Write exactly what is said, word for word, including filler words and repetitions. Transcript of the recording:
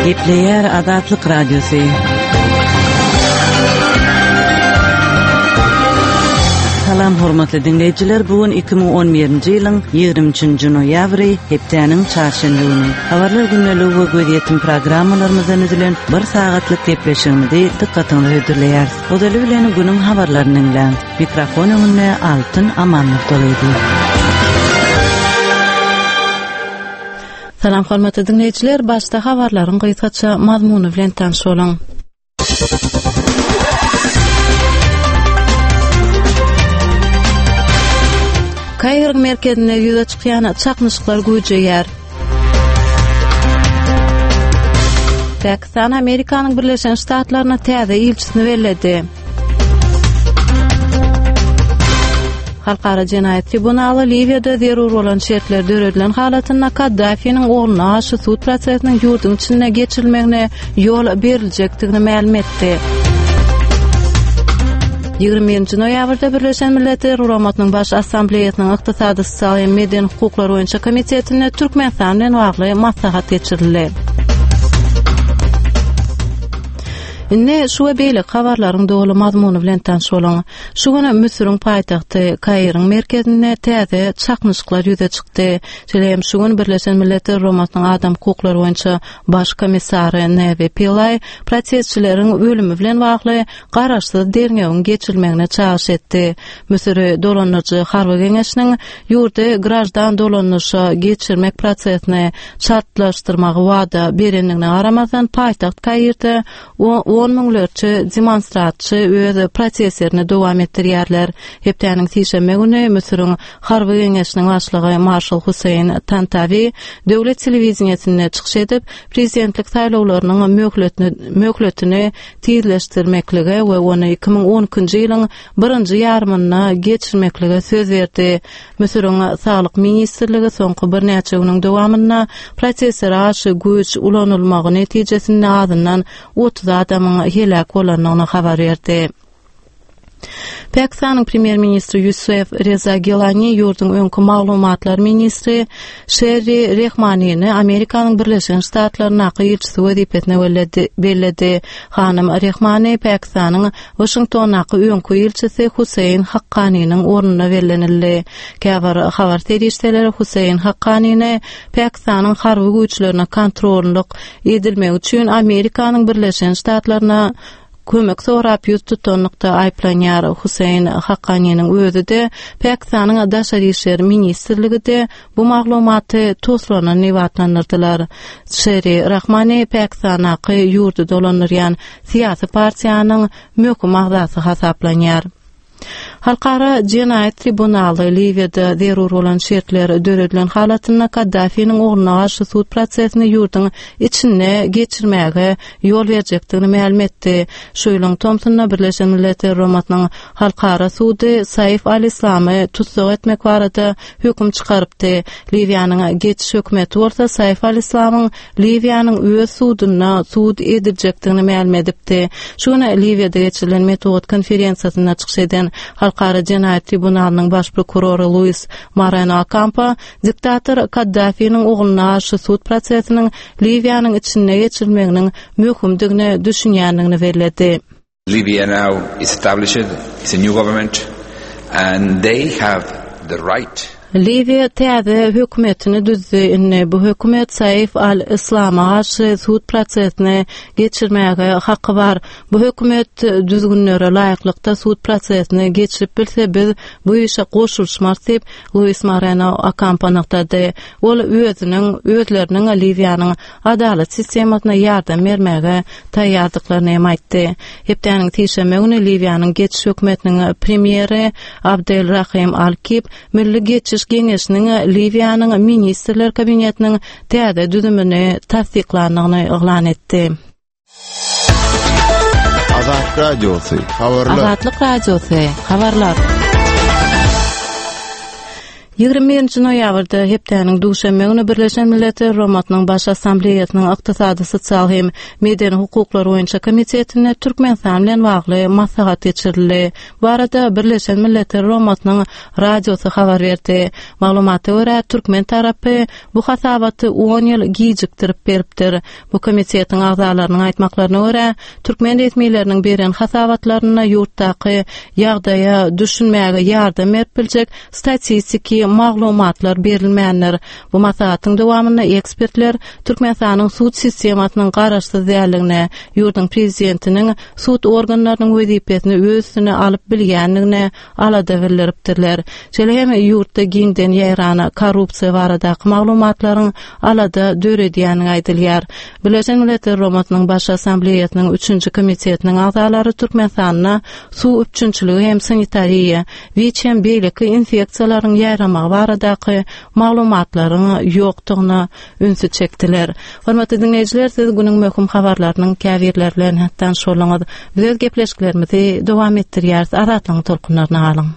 Gepleýär Azatlyk Radiosy. Salam hormatly diňleýjiler, bu gün iki müň on birinji ýylyň ýigrimi üçünji noýabry, hepdäniň çarşenbe güni. Habarlar gündeligi we gözýetim programmalarymyzdan düzülen bir sagatlyk gepleşigimizi dykgatyňyza hödürleýäris. Ozaly bilen günüň habarlaryny diňläň. Mikrofon öňünde Altyn Amanmurtalydy. Salam hormatly diňleýjiler, başda habarlaryň gysgaça mazmuny bilen tanyş boluň. Kairiň merkezinde ýüze çykýan çaknyşyklar güýjeýär. Pakistan Amerikanyň Birleşen Ştatlaryna täze ilçisini belledi. Halkara jenaýat tribunaly Liwiýada zerur bolan şertler döredilen halatynda Kaddafiniň ogluna garşy sud prosesiniň ýurduň içinde geçirilmegine ýol beriljekdigini mälim etdi. Ýigrimi birinji noýabrda Birleşen Milletler Guramasynyň Baş Assambleýasynyň Ykdysady, sosial hem medeni hukuklar boýunça komitetinde Türkmenistan bilen bagly maslahat geçirildi. Indi şu we beýleki habarlaryň doly mazmuny bilen tanyş boluň. Şu gün Müsüriň paýtagty Kairiň merkezinde täze çaknyşyklar ýüze çykdy. Şeýle hem şu gün Birleşen Milletler Guramasynyň adam hukuklary boýunça baş komissary Nevi Pillay protestçileriň ölümi bilen bagly garaşsyz derňewiň geçirilmegine çagyryş etdi. Müsüri dolandyryjy harby geňeşiniň ýurdy graždan dolandyryşa geçirmek prosesini çaltlaşdyrmagy wada berendigine garamazdan paýtagt Kairde on müňlerçe demonstratçy öz protestlerini dowam etdirýärler. Hepdäniň sişenbe güni Müsüriň harby geňeşiniň başlygy Marşal Hüseýin Tantawi döwlet telewideniýesinde çykyş edip, prezidentlik saýlawlarynyň möhletini, möhletini tizleşdirmeklige we ony iki müň on ikinji ýylyň birinji ýarymynda geçirmeklige söz berdi. Müsüriň Saglyk ministrligi soňky birnäçe günüň dowamynda protestlere garşy güýç ulanylmagy netijesinde azyndan otuz adamyň heläk bolandygyny habar berdi. Pakistanyň premýer-ministri Ýusuf Reza Gilani ýurduň öňki maglumatlar ministri Şerri Rehmanini Amerikanyň Birleşen Ştatlaryndaky ilçisi wezipesine belledi, belledi. Hanym Rehmani Pakistanyň Waşingtondaky öňki ilçisi Huseýn Hakkaniniň ornuna bellenildi. Käbir habar serişdeleri Huseýn Hakkanini Pakistanyň harby güýçlerine kontrollyk edilmegi üçin Amerikanyň Birleşen Ştatlaryna kömek sorap ýüz tutanlykda aýyplanýar. Huseýn Hakkaniniň özi-de, Pakistanyň Daşary işler ministrligi-de bu maglumaty toslanan diýip atlandyrdylar. Şeri Rahmani Pakistandaky ýurdy dolandyrýan syýasy partiýanyň möhüm agzasy hasaplanýar. Halkara jenaýat tribunaly Liwiýada zerur bolan şertler döredilen halatynda Kaddafiniň ogluna garşy sud prosesini ýurduň içinde geçirmäge ýol berjekdigini mälim etdi. Şu ýylyň tomsunda Birleşen Milletler Guramasynyň Halkara sudy Saif al-Islamy tussag etmek barada höküm çykarypdy. Liwiýanyň geçiş hökümeti bolsa Saif al-Islamyň Liwiýanyň öz sudunda sud ediljekdigini mälim edipdi. Şu gün Liwiýada geçirilen metbugat konferensiýasynda çykyş eden Halkara jenaýat tribunalynyň baş prokurory Luis Moreno Okampo diktator Kaddafiniň ogluna garşy sud prosesiniň Liwiýanyň içinde geçirilmeginiň möhümdigine düşünýändigini belledi. Libya now is established, it's a new government and they have the right. Liwiýa täze hökümetini düzdi. Indi bu hökümet Saif al-Islama garşy sud prosesini geçirmäge haky bar. Bu hökümet düzgünlere laýyklykda sud prosesini geçirip bilse, biz bu işe goşulyşmarys diýip, Luis Moreno Okampo nygtady. Ol özüniň, özleriniň Liwiýanyň adalat sistemasyna ýardam bermäge taýýardyklaryny hem aýtdy. Hepdäniň sişenbe güni Liwiýanyň geçiş hökümetiniň premýeri Abdel Rahim Al-Kib Milli geçiş geňeşiniň Liwiýanyň Ministrler Kabinetiniň täze düzümini tassyklandygyny yglan etdi. Azatlyk Radiosy, habarlar. Azatlyk Radiosy, habarlar. Ýigrimi birinji noýabrda hepdäniň duşenbe güni Birleşen Milletler Guramasynyň Baş Assambleýasynyň Ykdysady, sosial hem medeni hukuklar boýunça komitetinde Türkmenistan bilen bagly maslahat geçirildi. Bu barada Birleşen Milletler Guramasynyň radiosy habar berdi. Maglumata görä, türkmen tarapy bu hasabaty on ýyl gijikdirip beripdir. Bu komitetiň agzalarynyň aýtmaklaryna görä, türkmen resmileriniň beren hasabatlarynda ýurtdaky ýagdaýa düşünmäge ýardam berip biljek statistiki maglumatlar berilmändir. Bu maslahatyň dowamynda ekspertler Türkmenistanyň sud sistemasynyň garaşsyz däldigine, ýurduň prezidentiniň sud organlarynyň wezipesini öz üstüne alyp bilýändigine alada bildiripdirler. Şeýle hem ýurtda giňden ýaýran korrupsiýa baradaky maglumatlaryň alada döredýändigi aýdylýar. Birleşen Milletler Guramasynyň Baş Assambleýasynyň üçünji komitetiniň agzalary Türkmenistanda suw üpjünçiligi hem sanitariýa, WIÇ hem beýleki infeksiýalaryň ýaýramagy baradaky maglumatlaryň ýokdugyna ünsi çekdiler. Hormatly diňleýjiler, siz günüň möhüm habarlarynyň käbirleri bilen tanyş bolduňyz. Biz öz gepleşiklerimizi dowam etdirýäris. Azatlygyň tolkunlaryna galyň.